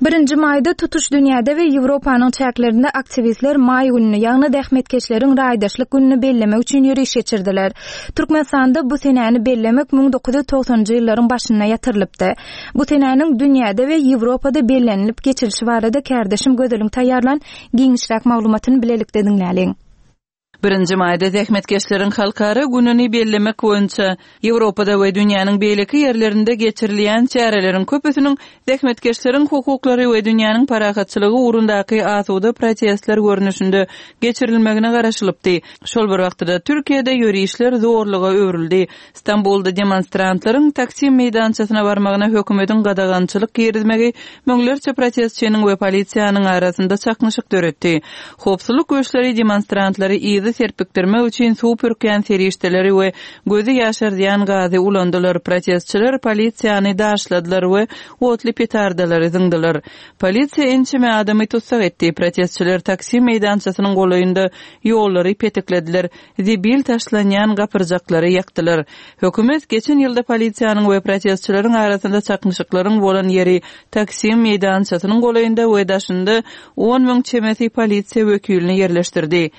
Birinji maýda tutuş dünýäde we Ýewropanyň çäklerinde aktiwistler maý gününi, ýagny zähmetkeşleriň raýdaşlyk gününi bellemek üçin ýöriş geçirdiler. Türkmenistanda bu senäni bellemek 1990-njy ýyllaryň başynda ýatyrylypdy. Bu senäniň dünýäde we Ýewropada bellenilip geçilişi barada kärdeşim Gözeliň taýýarlan giňişräk maglumatyny bilelikde diňläliň. Birinji maýda zähmetkeşleriň halkara gününi bellemek boýunça Ýewropada we dünýäniň beýleki ýerlerinde geçirilýän çäreleriň köpüsiniň zähmetkeşleriň hukuklary we dünýäniň parahatçylygy ugrundaky asuda protestler görnüşinde geçirilmegine garaşylypdy. Şol bir wagtda-da Türkiýede ýörişler zorluga öwrüldi. Stambulda demonstrantlaryň Taksim meýdançasyna barmagyna hökümetiň gadagançylyk girizmegi müňlerçe protestçiniň we polisiýanyň arasynda çaknyşyk döretdi. Howpsuzlyk güýçleri demonstrantlary yza serpikdirmek üçin suw pürkýän serişdeleri we gözi ýaşardýan gazy ulandylar, protestçiler polisiýany daşladylar we otly petardalary zyňdylar. Polisiýa ençeme adamy tussag etdi, protestçiler Taksim meýdançasynyň golaýynda ýollary petiklediler, zibil taşlanýan gapyrjaklary ýakdylar. Hökümet geçen ýylda polisiýanyň we protestçileriň arasynda çaknyşyklaryň bolan ýeri Taksim meýdançasynyň golaýynda we daşynda 10 müň çemesi polisiýa wekilini ýerleşdirdi.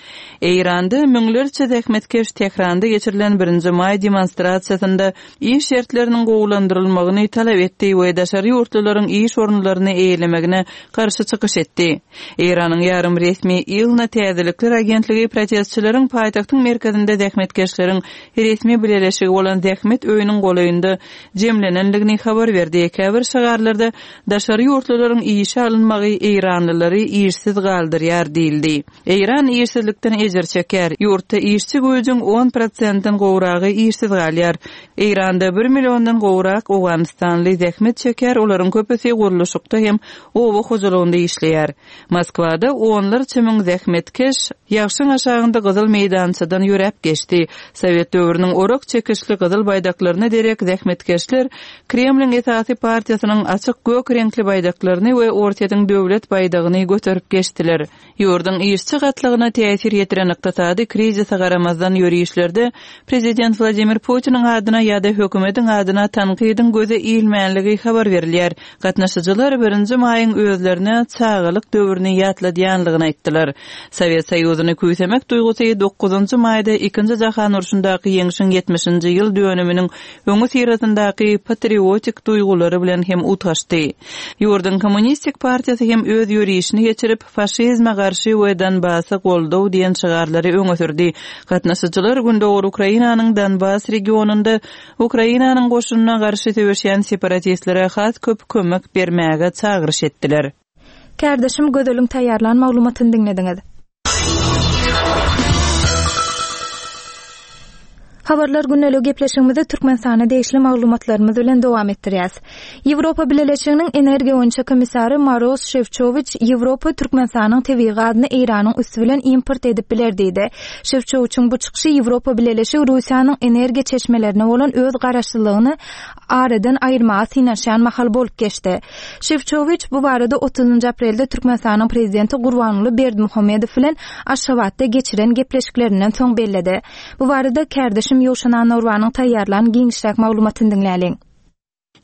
Eýranda müňlerçe zähmetkeş Tähranda geçirilen birinji maý demonstrasiýasynda iş şertleriniň gowulandyrylmagyny talap etdi we daşary ýurtlularyň iş orunlaryny eýelemegine garşy çykyş etdi. Eýranyň ýarym resmi ILNA täzelikler agentligi protestçileriň paýtagtyň merkezinde zähmetkeşleriň resmi bileleşigi bolan Zähmet öýüniň golaýynda jemlenendigini habar berdi. Käbir şygarlarda daşary ýurtlularyň işe alynmagy eýranlylary işsiz galdyrýar diýildi. Eýran işsizlikden ejir çekýär. Ýurtda işçi güýjüň on prosentden gowragy işsiz galýar. Eýranda bir milliondan gowrak owganystanly zähmet çekýär, olaryň köpüsi gurluşykda hem oba hojalygynda işleýär. Moskwada onlarça müň zähmetkeş ýagşyň aşagynda Gyzyl meýdançadan ýöräp geçdi. Sowet döwrüniň orak çekişli gyzyl baýdaklaryna derek zähmetkeşler Kremliň esasy partiýasynyň açyk gök reňkli baýdaklaryny we Orsýetiň döwlet baýdagyny göterip geçdiler. Ýurduň işçi gatlagyna täsir ýetiren ykdysady krizise garamazdan ýörişlerde prezident Wladimir Putiniň adyna ýa-da hökümetiň adyna tankydyň göze ilmänligi habar berilýär. Gatnaşyjylar birinji maýyň özlerine çagalyk döwrüni ýatladýanlygyny aýtdylar. Sowet Soýuzyny küýsemek duýgusy dokuzynjy maýda Ikinji jahan urşundaky ýeňşiň ýetmişinji ýyl dönüminiň öňüsyrasyndaky patriotik duýgulary bilen hem utgaşdy. Ýurduň Kommunistik partiýasy hem öz ýörişini geçirip, Faşizme garşy we Donbasa goldaw diýen şygarlary öňe sürdi. Gatnaşyjylar Gündogar Ukrainanyň Donbas regionynda Ukrainanyň goşunyna garşy söweşýän separatistlere has köp kömek bermäge çagyryş etdiler. Kärdeşim Gözeliň taýýarlan maglumatyny diňlediňiz. Habarlar gündeligi gepleşigimizi Türkmenistana degişli maglumatlarymyz bilen dowam etdirýäs. Ýewropa Bileleşiginiň energiýa boýunça komissary Maros Şefçowiç Ýewropa Türkmenistanyň tebigy gazyny Eýranyň üsti bilen import edip biler diýdi. Şefçowiçiň bu çykyşy Ýewropa Bileleşigi Russiýanyň energiýa çeşmelerine bolan öz garaşlylygyny aradan aýyrmaga synanyşýan mahaly bolup geçdi. Şefçowiç bu barada otuzynjy aprelde Türkmenistanyň Prezidenti Gurbanguly Berdimuhamedow bilen Aşgabatda geçiren gepleşiklerinden soň belledi. Bu barada kärdeşim Ýowşan Annagurbanyň taýýarlan giňişräk maglumatyny diňläliň.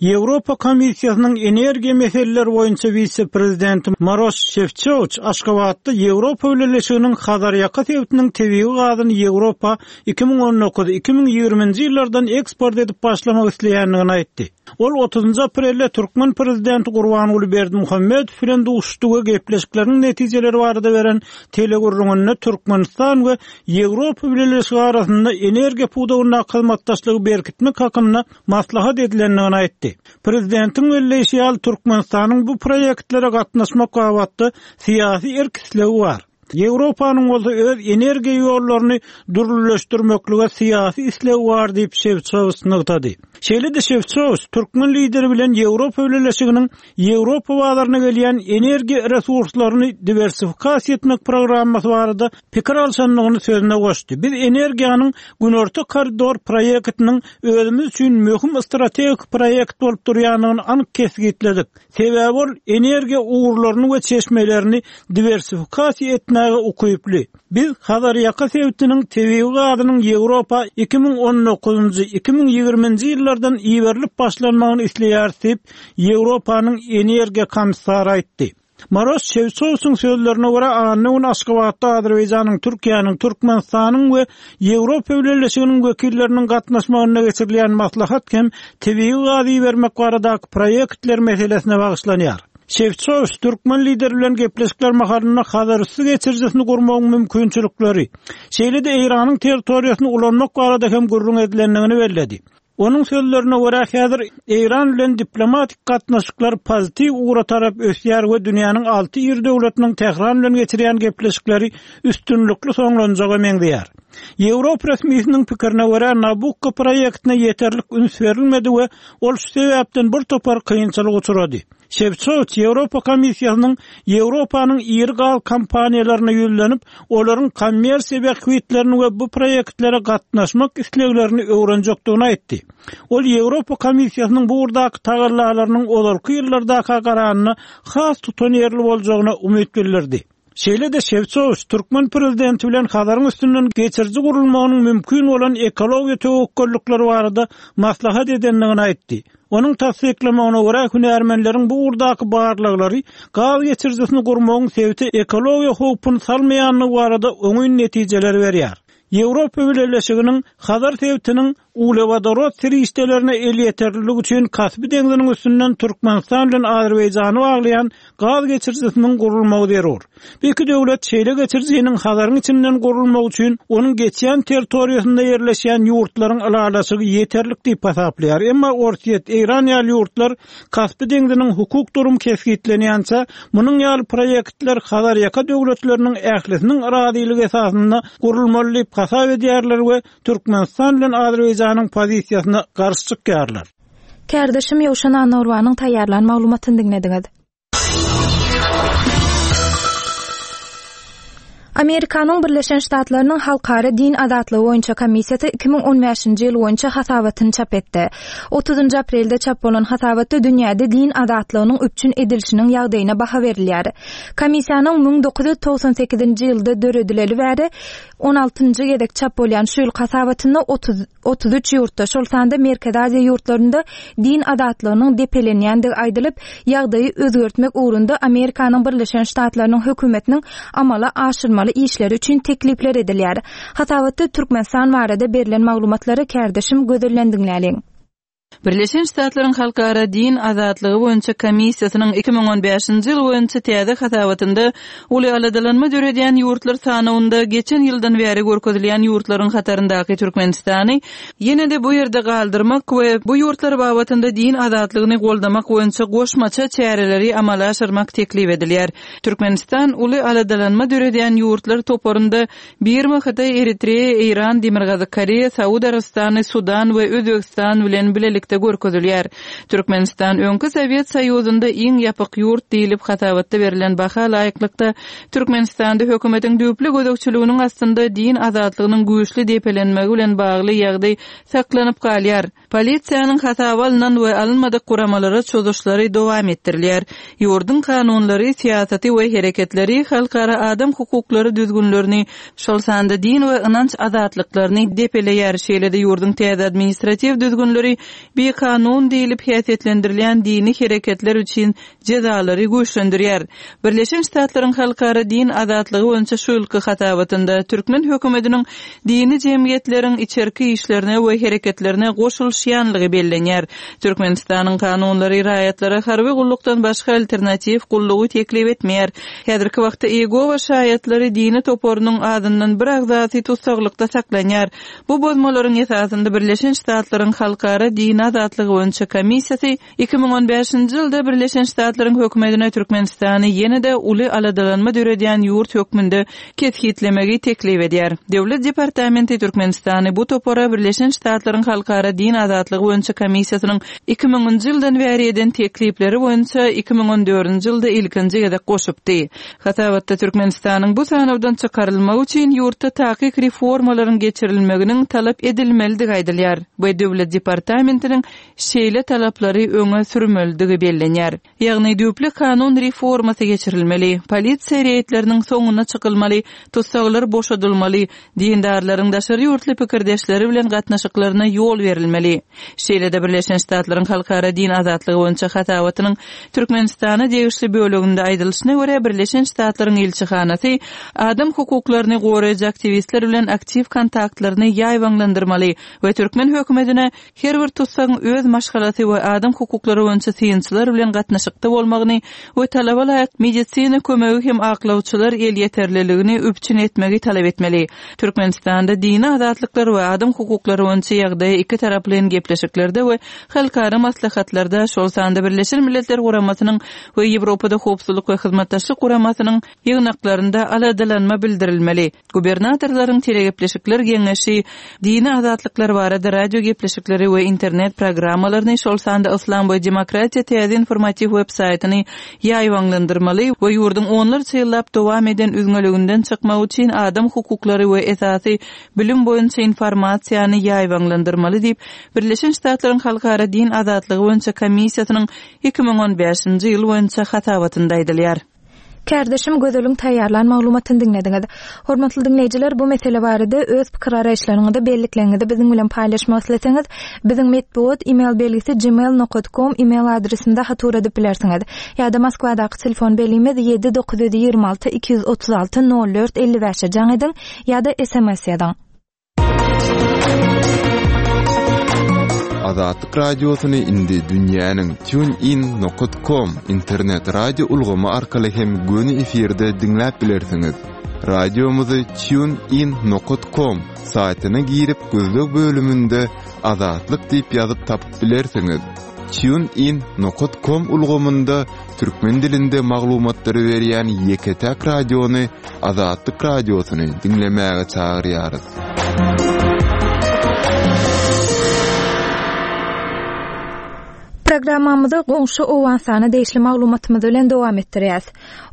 Ýewropa Komissiýasynyň energiýa meseleleri boýunça wise-prezidenti Maroş Şefçowiç Aşgabatda Ýewropa Bileleşiginiň Hazarýaka sebitiniň tebigy gazyny Ýewropa 2019, 2020-nji ýyllardan eksport edip başlamak isleýändigini aýtdy. Ol otuzynjy aprelde türkmen prezidenti Gurbanguly Berdimuhamedow bilen duşuşdy we gepleşikleriň netijeleri barada beren telegürrüňinde Türkmenistan we Ýewropa Bileleşigi arasynda energiýa pudagyndaky hyzmatdaşlygy berkitmek hakynda maslahat edilendigini aýtdy. Prezidentiň belleýşi ýaly, Türkmenistanyň bu proýektlere gatnaşmak babatda syýasy erk-islegi bar. Ýewropanyň bolsa öz energiýa ýollaryny dürlüleşdirmeklige syýasy islegi bar diýip, Şewçowiç nygtady. Şeýle-de Şewçowiç türkmen lideri bilen Ýewropa Bileleşiginiň Ýewropa bazaryna gelýän energiýa resurslaryny diwersifikasiýa etmek programmasy barada pikir alşandygyny sözüne goşdy. Biz energiýanyň Günorta koridor proýektiniň özümiz üçin möhüm strategik proýekt bolup durýandygyny anyk kesgitledik. Sebäbi ol energiýa ugurlaryny we çeşmelerini diwersifikasiýa etmäge. etmäge ukyply. Biz Hazarýaka sebitiniň tebigy gazynyň Ýewropa 2019-njy, 2020-nji ýyllardan iberilip başlanmagyny isleýäris diýip, Ýewropanyň energiýa komissary aýtdy. Maros Şewçowiçiň sözlerine görä, anna güni Aşgabatda Azerbaýjanyň, Türkiýäniň, Türkmenistanyň we Ýewropa Bileleşiginiň wekilleriniň gatnaşmagynda geçirilýän maslahat hem tebigy gaz ibermek baradaky proýektler meselesine bagyşlanýar. Şewçowiç türkmen lideri bilen gepleşikler mahalynda Hazarüsti geçirijisini gurmagyň mümkinçilikleri, şeýle-de Eýranyň territoriýasyny ulanmak barada hem gürrüň edilendigini belledi. Onuň sözlerine görä, häzir Eýran bilen diplomatik gatnaşyklar pozitiw ugra tarap ösýär we dünýäniň alty iri döwletiniň Tähran bilen geçirýän gepleşikleri üstünlikli soňlanjaga meňzeýär. Ýewropa resmisiniň pikirine görä, Nabukko proýektine ýeterlik üns berilmedi we ol şu sebäpden bir topar kynçylyga uçrady. Şewçowiç Ýewropa Komissiýasynyň Ýewropanyň iri gaz kompaniýalaryna ýüzlenip, olaryň kommersiýa bähbitlerini we bu proýektlere gatnaşmak isleglerini öwrenjekdigini aýtdy. Ol Ýewropa Komissiýasynyň bu ugurdaky tagallalarynyň ozalky ýyllardaka garanda has tutanýerli boljagyna umyt bildirdi. Şeýle-de Şewçowiç türkmen prezidenti bilen Hazaryň üstünden geçiriji gurulmagynyň mümkin bolan ekologiýa töwekgellikleri barada maslahat edendigini aýtdy. Onuň tassyklamagyna görä, hünärmenleriň bu ugurdaky barlaglary gaz geçirijisini gurmagyň sebite ekologiýa howpuny salmaýandygy barada oňyn netijeleri berýär. Ýewropa Bileleşiginiň Hazar sebitiniň uglewodorod serişdelerine elýeterlilik üçin Kaspi deňziniň üstünden Türkmenistan bilen Azerbaýjany baglaýan gaz geçirijisiniň gurulmagy zerur. Bu iki döwlet şeýle geçirijiniň Hazaryň içinden gurulmagy üçin onuň geçýän territoriýasynda ýerleşýän ýurtlaryň ylalaşygy ýeterlik diýip hasaplaýar. Emma Orsýet, Eýran ýaly ýurtlar Kaspi deňziniň hukuk durumy kesgitlenýänçä, munuň ýaly proýektler Hazarýaka döwletleriniň ählisiniň razylygy esasynda gurulmaly diýip hasap edýärler we Türkmenistan bilen Azerbaýjanyň pozisiýasyna garşy çykýarlar. Kärdeşim Ýowşan Annagurbanyň taýýarlan maglumatyny diňlediňiz. Amerikanyň Birleşen Ştatlarynyň Halkara din azatlygy boýunça komissiýasy 2015-nji ýyl boýunça hasabatyny çap etdi. Otuzynjy aprelde çap bolan hasabatda dünýäde din azatlygynyň üpjün edilişiniň ýagdaýyna baha berilýär. Komissiýanyň 1998-nji ýylda döredileli bäri On altynjy gezek çap bolýan şu ýylky hasabatynda 33 ýurtda, şol sanda Merkezi Aziýa ýurtlarynda din azatlygynyň depelenýändigi aýdylyp, ýagdaýy özgertmek ugrunda Amerikanyň Birleşen Ştatlarynyň hökümetiniň amala aşyrmaly işleri üçin teklipler edilýär. Hasabatda Türkmenistan barada berlen maglumatlary kärdeşim Gözelden diňläliň. Birleşen Ştatlaryň Halkara din azatlygy boýunça komissiýasynyň 2015-nji ýyl boýunça täze hasabatynda uly aladalanma döredýän ýurtlar sanawynda geçen ýyldan bäri görkezilýän ýurtlaryň hataryndaky Türkmenistany ýene-de bu ýerde galdyrmak we bu ýurtlar babatynda din azatlygyny goldamak boýunça goşmaça çäreleri amala aşyrmak teklip edilýär. Türkmenistan uly aladalanma döredýän ýurtlar toparynda Birma, Hytaý, Eritreýa, Eýran, Demirgazyk Koreýa, Saud Arabystany, Sudan we Özbegistan bilen bilelikde görkezilýär. Türkmenistan öňki Sowet Soýuzynda iň ýapyk ýurt diýlip hasabatda berlen baha laýyklykda, Türkmenistanda hökümetiň düýpli gözegçiliginiň astynda din azatlygynyň güýçli depelenmegi bilen bagly ýagdaý saklanyp galýar. Polisiýanyň hasaba alnan we alynmadyk guramalara çozuşlary dowam etdirilýär. Ýurduň kanunlary, syýasaty we hereketleri halkara adam hukuklary düzgünlerini, şol sanda din we ynanç azatlyklaryny depeleýär, şeýle-de ýurduň täze administratiw düzgünleri bikanun diýlip häsiýetlendirilýän dini hereketler üçin jezalary güýçlendirýär. Birleşen Ştatlaryň Halkara din azatlygy boýunça şu ýylky hasabatynda türkmen hökümetiniň dini jemgyýetleriň içerki işlerine we hereketlerine goşulyşýanlygy bellenýär. Türkmenistanyň kanunlary raýatlara harby gullukdan başga alternatiw gullugy teklip etmeýär. Häzirki wagtda Iýegowa şaýatlary dini toparynyň azyndan bir agzasy tussaglykda saklanýar. Bu bozmalaryň esasynda Birleşen Ştatlaryň Halkara dini azatlygy boýunça komissiýasy 2015-nji ýylda Birleşen Ştatlaryň hökümetine Türkmenistany ýene-de uly aladalanma döredýän ýurt hökmünde kesgitlemegi teklip edýär. Döwlet departamenti Türkmenistany bu topara Birleşen Ştatlaryň Halkara din. azatlygy boýunça komissiýasynyň 2000-nji ýyldan bäri eden teklipleri boýunça 2014-nji ýylda ilkinji gezek goşupdy. Hasabatda Türkmenistanyň bu sanawdan çykarylmagy üçin ýurtda takyk reformalaryň geçirilmeginiň talap edilmelidigi aýdylýar we Döwlet departamentiniň şeýle talaplary öňe sürmelidigi bellenýär. Ýagny düýpli kanun reformasy geçirilmeli, polisiýa reýdleriniň soňuna çykylmaly, tussaglar boşadylmaly, dindarlaryň daşary ýurtly pikirdeşleri bilen gatnaşyklaryna ýol berilmeli. Şeýle-de Birleşen Ştatlaryň Halkara din azatlygy boýunça hasabatynyň Türkmenistana degişli böleginde aýdylyşyna görä, Birleşen Ştatlaryň ilçihanasy adam hukuklaryny goraýjy aktiwistler bilen aktiw kontaktlaryny ýaýbaňlandyrmaly we türkmen hökümetine Her bir tussagyň öz maşgalasy we adam hukuklary boýunça synçylar bilen gatnaşykda bolmagyny we talaba laýyk medisina kömegi hem aklawçylar elýeterliligini üpjün etmegi talap etmeli. Türkmenistanda dini azatlyklar we adam hukuklary boýunça ýagdaýa ikitaraplaýyn gepleşiklerde we halkara maslahatlarda, şol sanda Birleşen Milletler Guramasynyň we Ýewropada Howpsuzlyk we Hyzmatdaşlyk Guramasynyň ýygnaklarynda aladalanma bildirilmeli. Gubernatorlaryň telegepleşikler geňeşi dini azatlyklar barada radio gepleşikleri we internet programmalaryny, şol sanda Yslam we demokratiýa täze informatiw web-saýtyny ýaýbaňlandyrmaly we ýurduň onlarça ýyllap dowam eden üzňeliginden çykmak üçin adam hukuklary we esasy bilim boýunça informasiýany ýaýbaňlandyrmaly diýip, Birleşen Ştatlaryň Halkara din azatlygy boýunça komissiýasynyň 2015-nji ýyl boýunça hasabatynda aýdylýar. Kärdeşim Gözeliň taýýarlan maglumatyny diňlediňiz. Hormatly diňleýjiler, bu mesele barada öz pikir-garaýyşlaryňyzy, bellikleriňizi biziň bilen paýlaşmak isleseňiz, biziň metbugat e-mail belgisi gmail nokat kom e-mail adresimize hat ugradyp bilersiňiz. Ýa-da Moskwadaky telefon belgimiz 7 926 236 04 55-e jaň ediň ýa-da sms ýazyň. Azatlyk Radiosyny indi dünýäniň TuneIn nokat kom internet radio ulgamy arkaly hem göni efirde diňläp bilersiňiz. Radiomyzy TuneIn nokat kom saýtyna girip gözleg bölüminde Azatlyk diýip ýazyp tapyp bilersiňiz. TuneIn nokat kom ulgamynda türkmen dilinde maglumatlary berýän ýeke-täk radiony Azatlyk Radiosyny diňlemäge çagyrýarys. Programmamyzy goňşy Owganystana degişli maglumatymyz bilen dowam etdirýäs.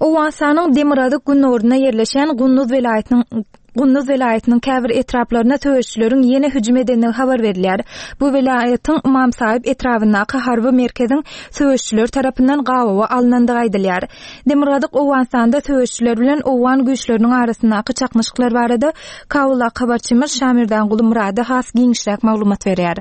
Owganystanyň demirgazyk-gündogarynda ýerleşýän Gunduz welaýatynyň Gunduz welaýatynyň käbir etraplaryna söweşijileriň ýene hüjüm edendigi habar berilýär. Bu welaýatyň Ymam Saýyp etrabyndaky harby merkeziň söweşijiler tarapyndan gabawa alnandygy aýdylýar. Demirgazyk Owganystanda söweşijiler bilen owgan güýçleriniň arasyndaky çaknyşyklar barada Kabuldaky habarçymyz Şamerdanguly Myrady has giňişräk maglumat berýär.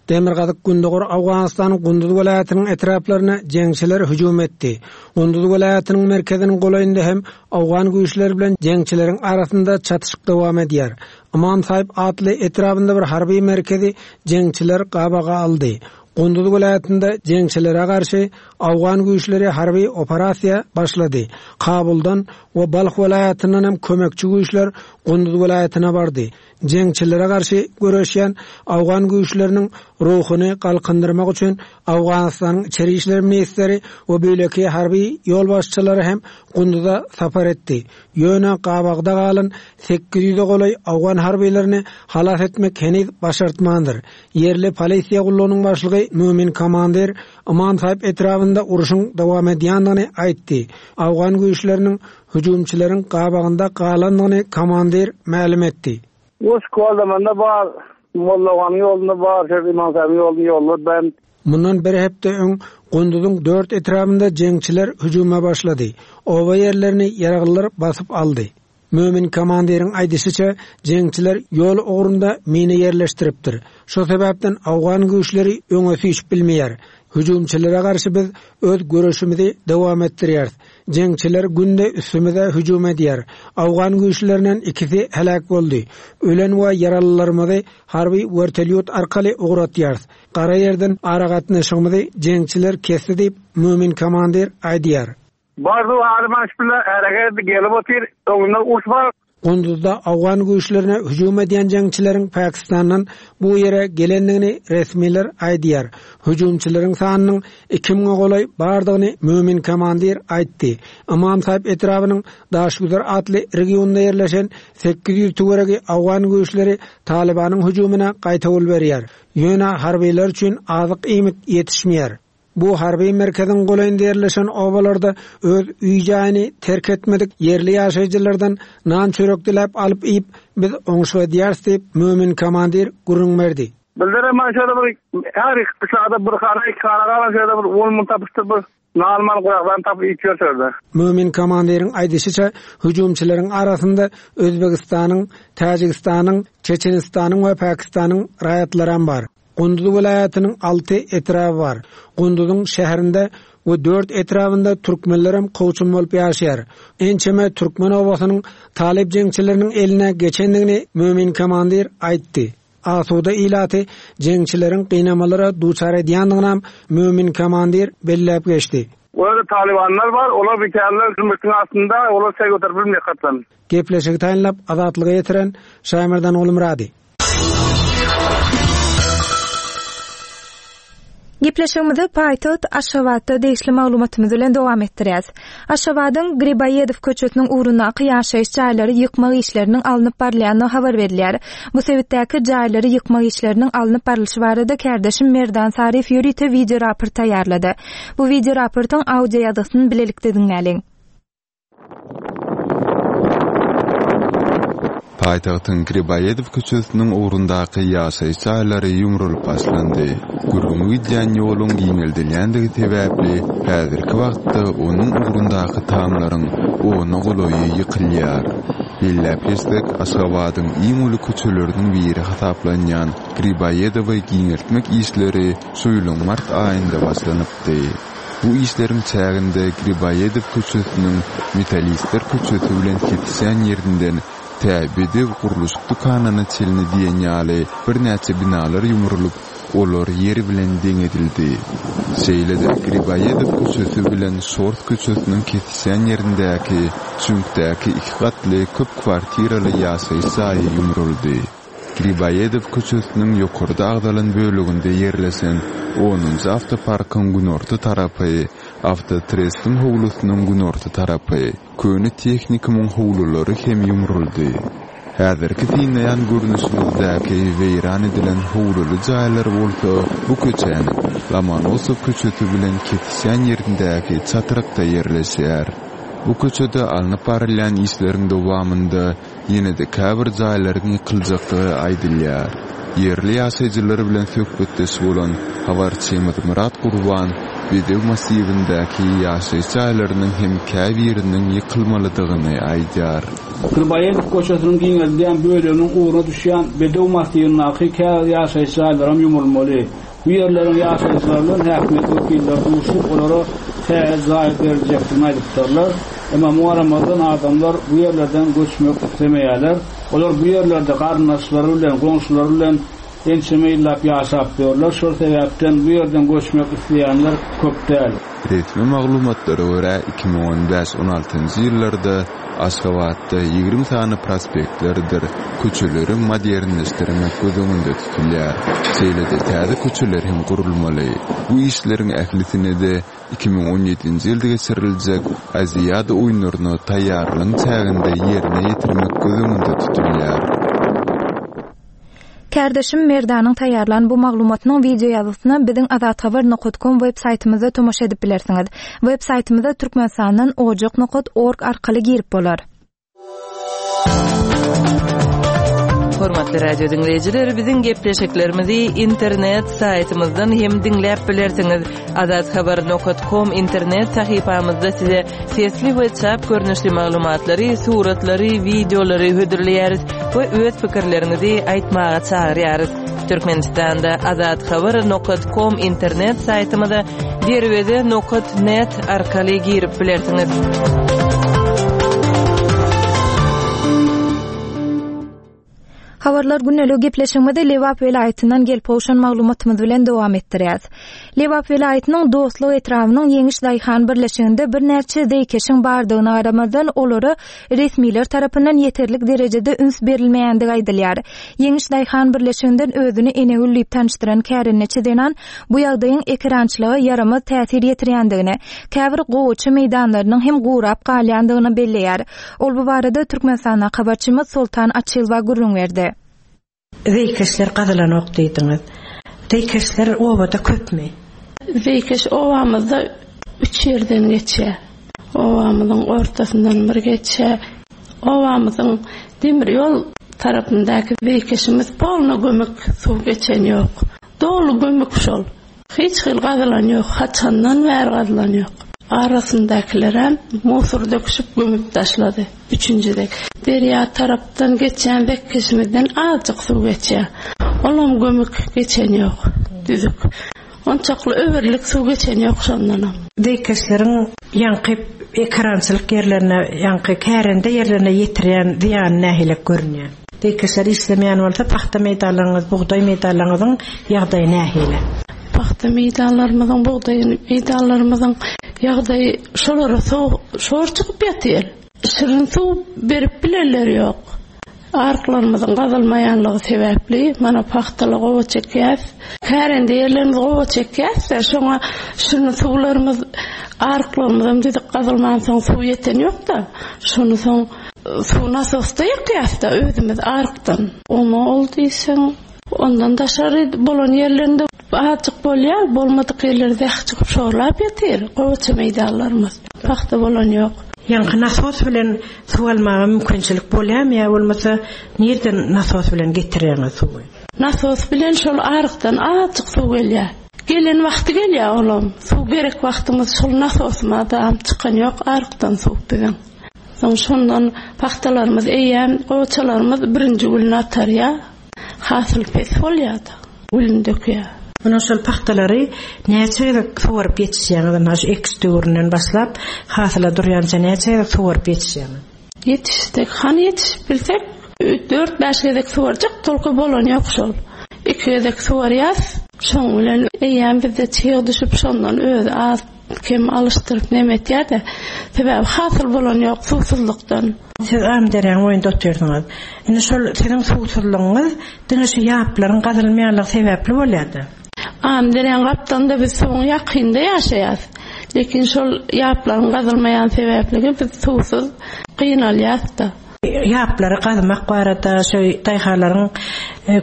Demirgazyk-gündogar Owganystanyň Gunduz welaýatynyň etraplaryna jeňçiler hüjüm etdi. Gunduz welaýatynyň merkeziniň golaýynda hem owgan güýçleri bilen jeňçileriň arasynda çatyşyk dowam edýär. Ymam Saýyp atly etrabynda bir harby merkezi jeňçiler gabaga aldy. Gunduz welaýatynda jeňçilere garşy owgan güýçleri harby operasiýa başlady. Kabuldan we Balh welaýatyndan hem kömekçi güýçler Gunduz welaýatyna bardy. Jeňçilere garşy göreşýän owgan güýçleriniň ruhuny galkyndyrmak üçin Owganystanyň içeri işler ministri we beýleki harby ýolbaşçylary hem Gunduza sapar etdi. Ýöne gabagda galan 800-e golaý owgan harbylaryny halas etmek heniz başartmandyr. Ýerli polisiýa gullugynyň başlygy Mömin Komandir Ymam Saýyp etrabynda urşuň dowam edýändigini aýtdy. Owgan güýçleriniň Hüjümçileriň gabagynda galandygyny komandir mälim etdi. Uruş Koldamanda bar, Mollaganyň ýolunda bar, şol Imam Saýybyň ýolunda ýollar bent. Mundan bir hepde öň Gunduzyň dört etrabynda jeňçiler hüjüme başlady. Oba ýerlerini ýaraglylar basyp aldy. Mömin komandiriň aýdyşyça, jeňçiler ýol ugrunda mina ýerleşdiripdir. Şo sebäpden owgan güýçleri öňe süýşüp bilmeýär. Hüjümçilere garşy biz öz göreşimizi dowam etdirýäris. Jeňçiler günde üstümize hüjüm edýär. Owgan güýçlerinden ikisi heläk boldy. Ölen we ýaralylarymyzy harby wertolýot arkaly ugratýarys. Gara ýerden aragatnaşygymyzy jeňçiler kesdi diýip, Mömin komandir aýdýar. Bardy, Alyman şu bilen hereket gelip otyr. Öňünde uruş bar. Gunduzda owgan güýçlerine hüjüm edýän jeňçileriň Pakistandan bu ýere gelendigini resmiler aýdýar. Hüjümçileriň sanynyň 2000-e golaý bardygyny Mömin komandir aýtdy. Ymam Saýyp etrabynyň Daşgüzer atly regionynda ýerleşen 800 töweregi owgan güýçleri Talybanyň hüjümine gaýtawul berýär. Ýöne harbylar üçin azyk-iýmit ýetişmeýär. Bu harby merkeziň golaýynda ýerleşen obalarda öz öý-jaýyny terk etmedik ýerli ýaşaýjylardan nan-çörek diläp alyp iýip, biz oňşuk edýäris diýip, Mömin komandir gürrüň berdi. Bizlerem mana şeýle bir her gyşlagda bir hana, iki hana galan şeýle bir on müň tapyşdyr bir nan-man gurakdan tapyp iýip ýörüs ýerde. Mömin komandiriň aýdyşyça, hüjümçileriň arasynda Özbegistanyň, Täjigistanyň, Çeçenistanyň we Pakistanyň raýatlaram bar. Gunduz welaýatynyň alty etraby bar. Gunduzyň şäherinde we dört etrabynda türkmenlerem kowçum bolup ýaşaýar. Ençeme türkmen obasynyň talyp jeňçileriniň eline geçendigini Mömin komandir aýtdy. Asuda ilaty jeňçileriň gynamalara duçar edýändiginem Mömin komandir belläp geçdi. Olarda talybanlar bar, olar bikärler zümrütiň astynda, olar çaý göterip bilmeýär hatdan. Gepleşigi taýynlap Azatlyga ýetiren Şaýmerdan Gulmyrady. Gepleşigimizi paýtagt Aşgabatda degişli maglumatymyz bilen dowam etdirýäs. Aşgabadyň Griboýedow köçesiniň ugrundaky ýaşaýyş jaýlary ýykmak işleriniň alnyp barylýandygy habar berilýär. Bu sebitdäki jaýlary ýykmak işleriniň alnyp barlyşy barada kärdeşim Merdan Saryýew ýörite wideoraport taýýarlady. Bu wideoraportyň audioýazgysyny bilelikde diňläliň. Paýtagtyň Griboýedow köçesiniň ugrundaky ýaşaýyş jaýlary ýumrulyp başlandy. Gürrüňi gidýän ýoluň giňeldilýändigi sebäpli, häzirki wagtda onuň ugrundaky tamlaryň ona golaýy ýykylýar. Belläp geçsek, Aşgabadyň iň uly köçeleriniň biri hasaplanýan Griboýedowy giňeltmek işleri şu ýylyň mart aýynda başlanypdy. Bu işleriň çäginde Griboýedow köçesiniň Metallistler köçesi bilen kesişýän ýerinden tä Bedew gurluşyk dükanyna çenli diýen ýaly birnäçe binalar ýumrulyp, olar ýer bilen deň edildi. Şeýle-de Griboýedow köçesi bilen Şors köçesiniň kesişýän ýerindäki çüňkdäki iki gatly köp kwartiraly ýaşaýyş jaýy ýumruldy. Griboýedow köçesiniň ýokarda agzalan böleginde ýerleşen onunjy awtoparkyň günorta tarapy, awtotrestiň howlusynyň günorta tarapy, köne tehnikumyň howlulary hem ýumruldy. Häzirki synlaýan görnüşiňizdäki weýran edilen howluly jaýlar bolsa bu köçäniň Lomonosow köçesi bilen kesişýän ýerindäki çatrykda ýerleşýär. Bu köçede alnyp barylýan işleriň dowamynda Ýene-de käbir jaýlaryň ýykyljakdygy aýdylýar. Ýerli ýaşaýjylar bilen söhbetdeş bolan habarçymyz Myrat Gurban Bedew massiwindäki ýaşaýyş jaýlarynyň hem käbiriniň ýykylmalydygyny aýdýar. Griboýedow köçesiniň giňeldilýän böleginiň ugruna düşýän Bedew massiwindäki käbir ýaşaýyş jaýlaram ýumrulmaly. Bu ýerleriň ýaşaýjylary bilen häkimiýet wekilleri duşup, olara täze jaý beriljekdigini aýdypdyrlar. Emma muňa garamazdan, adamlar bu ýerlerden göçmek islemeýärler. Olar bu ýerlerde garyndaşlary bilen, goňşulary bilen ençeme ýyllap ýaşap ýörler. Şol sebäpden bu ýerden göçmek isleýänler köp däl. Resmi maglumatlara görä, 2015 on altynjy ýyllarda Aşgabatda 20 sany prospektlerdir köçeleri modernleşdirmek göz öňünde tutulýar. Şeýle-de täze köçeler hem gurulmaly. Bu işleriň ählisine-de 2017-nji ýylda geçiriljek Aziada oýunlaryna taýýarlygyň çäginde ýerine ýetirmek göz öňünde tutulýar. Kärdeşim Merdanyň taýýarlan bu maglumatynyň wideo ýazgysyna biziň azathabar nokat kom web saýtymyzda tomaşa edip bilersiňiz. Web saýtymyza Türkmenistandan ojak nokat org arkaly girip bolar. Hormatly radio diňleýjiler, biziň gepleşiklerimizi internet saýtymyzdan hem diňläp bilersiňiz. Azathabar nokat kom internet sahypamyzda size sesli we çap görnüşli maglumatlary, suratlary, wideolary hödürleýäris we öz pikirleriňizi aýtmaga çagyrýarys. Türkmenistanda Azathabar nokat kom internet saýtymyza derweze nokat net arkaly girip bilersiňiz. Habarlar gündeligi gepleşigimizi Lebap welaýatyndan gelip gowşan maglumatymyz bilen dowam etdirýäs. Lebap welaýatynyň Dostluk etrabynyň Ýeňiş daýhan birleşiginde birnäçe zeýkeşiň bardygyna garamazdan, olara resmiler tarapyndan ýeterlik derejede üns berilmeýändigi aýdylýar. Ýeňiş daýhan birleşiginden özüni Enegül diýip tanyşdyran kärendeçi zenan bu ýagdaýyň ekerançylyga ýaramaz täsir ýetirýändigini, käbir gowaça meýdanlarynyň hem gurap galýandygyny belleýär. Ol bu barada Türkmenistandaky habarçymyz Soltan Açylowa gürrüň berdi. Zeýkeşler gazylanok diýdiňiz. Zeýkeşler obada köpmi? Zeýkeş obamyzda üç ýerden geçýär. Obamyzyň ortasyndan bir geçýär. Obamyzyň demir ýol tarapyndaky zeýkeşimiz polny gömük, suw geçen ýok. Doly gömük şol. Hiç hili gazylan ýok, haçandan bäri gazylan ýok. Arasyndakylerem musur döküşip gömüp taşlady. Üçünji dek. Derýa tarapdan geçýän zekkeşimizden azjyk suw geçýär. Olam gömük, geçen ýok. Düzük. Onçakly öwürlik suw geçen ýok şondanam. Zeýkeşleriň ýaňky ekerançylyk ýerlerine, ýaňky kärende ýerlerine ýetirýän zyýany nähilek görünýär? Zeýkeşler işlemeýän bolsa, pagta meýdanlaryňyz, bugdaý meýdanlaryňyzyň ýagdaýy nähili? Pagta meýdanlarymyzyň, bugdaý meýdanlarymyzyň ýagdaýy şolara suw şor çykyp ýatyr. Şirin suw berip bilenler ýok. Aryklarymyzyň gazylmaýanlygy sebäpli, mana pagtaly gowaça ekýäs. Kärende ýerlerimiz gowaça ekýäs-de, şoňa şirin suwlarymyz, aryklarymyzam düzük gazylmansoň suw ýeten ýok-da. Şony soň Suw nasosda ýakýas-da özümiz arykdan. Oňa ol diýseň, ondan daşary bolan ýerlerinde azjyk bolýar, bolmadyk ýerleri zäh çykyp şorlap ýatyr, gowaça meýdanlarymyz. Pagta bolan ýok. Ýaňky nasos bilen suw almaga mümkinçilik bolýarmy ýa bolmasa nirden nasos bilen getirýäňiz suwy? Nasos bilen şol arykdan azjyk suw gelýär. Gelen wagty gelýär olam. Suw gerek wagtymyz şol nasosymyzam çykan ýok arykdan suw biziň. Soň şondan pagtalarymyz eýýäm gowaçalarymyz birinji gülüni atarýar. Hasyl pes bolýar-da, gülüni dökýär. Ondan şol pagtalary näçe gezek suwaryp ýetişýäňiz? Ynha şu ekiş döwründen başlap hasyla durýança näçe gezek suwaryp ýetişýäňiz? Ýetişsek, hany ýetişip bilsek, dört-bäş gezek suwarjak, tolko bolany ýok şol. Iki gezek suwarýas, şoň bilen eýýäm bizde çyg düşüp şondan özi az Kem alyşdyryp neme etýär-de. Sebäbi hasyl bolan ýok suwsuzlykdan. Siz Amyderýanyň boýunda otyrsyňyz. Indi şol siziň suwsuzlygyňyz diňe şu ýaplaryň gazylmaýanlygy sebäpli bolýar-da. Amyderýanyň gapdalynda biz suwuň ýakynda ýaşaýas. Lekin şol ýaplaryň gazylmaýan sebäpligi biz suwsuz gynalýas-da. Ýaplary gazmak barada şu daýhanlaryň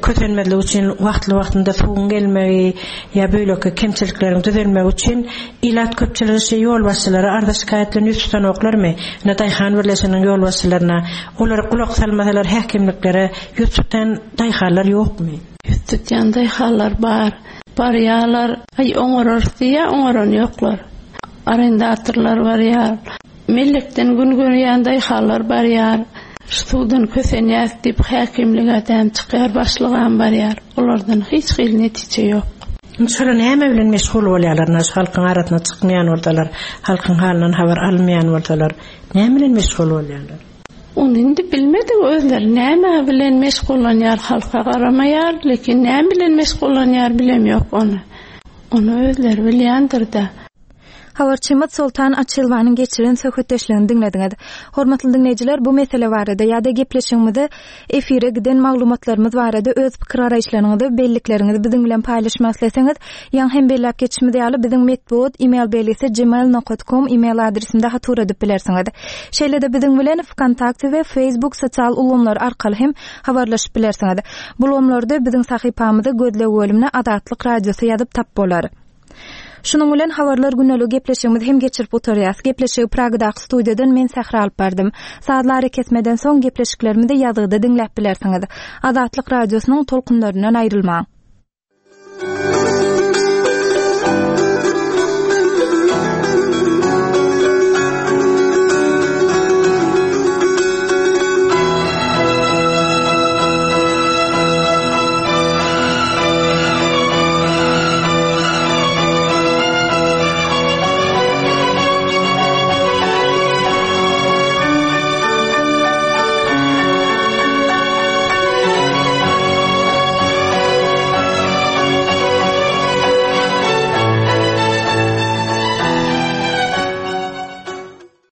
kösenmezligi üçin wagtly-wagtynda suwuň gelmegi ýa beýleki kemçilikleriň düzelmegi üçin ilat köpçüligi şu ýolbaşçylara arza-şikaýat bilen ýüz tutanoklarmy? Ine daýhan birleşiginiň ýolbaşçylaryna, olara gulak salmasalar häkimliklere ýüz tutýan daýhanlar ýokmy? Ýüz tutýan daýhanlar bar. Barýarlar, aý oňararys diýýär, oňaran ýoklar. Arendatorlar barýar. Mellekden gün görýän daýhanlar barýar. Şu suwdan kösenýäs diýip häkimlige däm çykýar, başlygam barýar. Olardan hiç hili netije ýok. Indi şolar näme bilen meşgul bolýarlar, ynha şu halkyň arasyna çykmaýan bolsalar, halkyň halyndan habar almaýan bolsalar, näme bilen meşgul bolýarlar? Ony indi bilmedik özleri näme bilen meşgullanýar halka garamaýar, lekin näme bilen meşgullanýar bilemýok ony. Ony özleri bilýändirde. Habarçymyz Soltan Açylowanyň geçiren söhbetdeşligini diňlediňiz. Hormatly diňleýjiler, bu mesele barada ýa-da gepleşigimize efire giden maglumatlarymyz barada öz pikir-garaýyşlaryňyzy, bellikleriňizi biziň bilen paýlaşmak isleseňiz, ýaňy hem belläp geçişimiz ýaly, biziň metbugat e-mail belgisi gmail nokat kom e-mail adresinde hat ugradyp bilersiňiz. Şeýle-de biziň bilen Wkontakte we Facebook sosial ulgamlary arkaly hem habarlaşyp bilersiňiz. Bu ulgamlarda biziň sahypamyzy gözleg bölümine Azatlyk Radiosy ýazyp tap bolar. Şunuň bilen Habarlar güneligi gepleşigimizi hem geçirip gutarýas. Gepleşigi Pragadaky studiýadan men Sähra alyp bardym. Sazly arakesmeden soň gepleşiklerimizi ýazgyda diňläp bilersiňiz. Azatlyk Radiosynyň tolkunlaryndan aýrylmaň.